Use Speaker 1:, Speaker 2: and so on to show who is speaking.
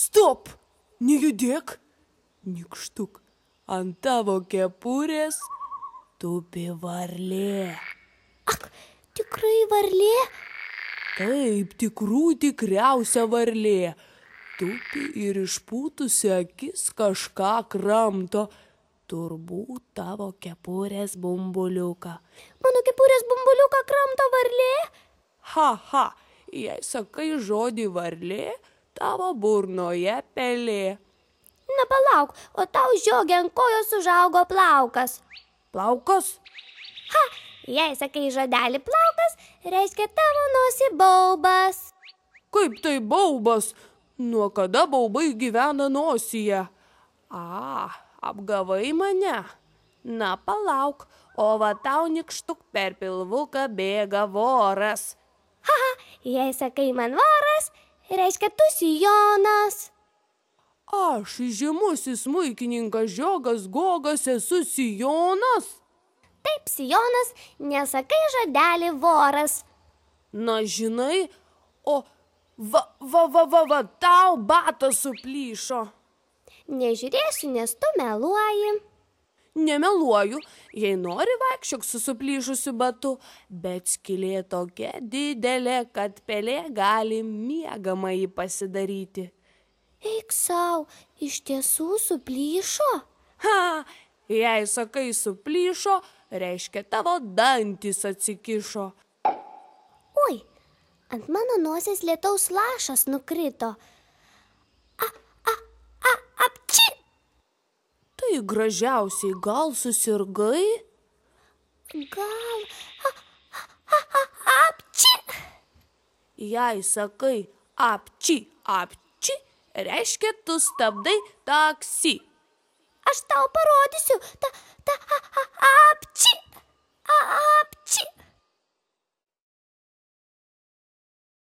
Speaker 1: Stop! Nejudėk! Nykštuk, ant tavo kepurės tupi varlė.
Speaker 2: Ak, tikrai varlė?
Speaker 1: Taip, tikriausia varlė. Tupi ir išpūtusi akis kažką kramto. Turbūt tavo kepurės bumbuliuką.
Speaker 2: Mano kepurės bumbuliuką kramto varlė?
Speaker 1: Ha, jei sakai žodį varlė, tavo burnoje pelė.
Speaker 2: Na palauk, o tau žiogė ant kojos užaugo plaukas.
Speaker 1: Plaukas?
Speaker 2: Ha, jei sakai žodelį plaukas, reiškia tavo nosį baubas.
Speaker 1: Kaip tai baubas? Nuo kada baubai gyvena nosyje? Apgavai mane? Na palauk, o va tau nykštuk per pilvuką bėga voras.
Speaker 2: Ha, jei sakai man voras, reiškia tu sijonas.
Speaker 1: Aš, žymusis smuikininkas Žiogas Gogas, esu sijonas?
Speaker 2: Taip, sijonas, nesakai žodelį voras.
Speaker 1: Na, žinai, o va, tau batas suplyšo.
Speaker 2: Nežiūrėsiu, nes tu meluoji.
Speaker 1: Nemeluoju, jei nori vaikščiok su suplyšusiu batu, bet skylė tokia didelė, kad pelė gali miegamąjį pasidaryti.
Speaker 2: Eik sau, iš tiesų suplyšo?
Speaker 1: Ha, jei sakai suplyšo, reiškia tavo dantis atsikišo.
Speaker 2: Oi, ant mano nosies lietaus lašas nukrito. Apči!
Speaker 1: Tai gražiausiai, gal susirgai?
Speaker 2: Gal... Apči!
Speaker 1: Jei sakai apči, reiškia tu stabdai taksi.
Speaker 2: Aš tau parodysiu,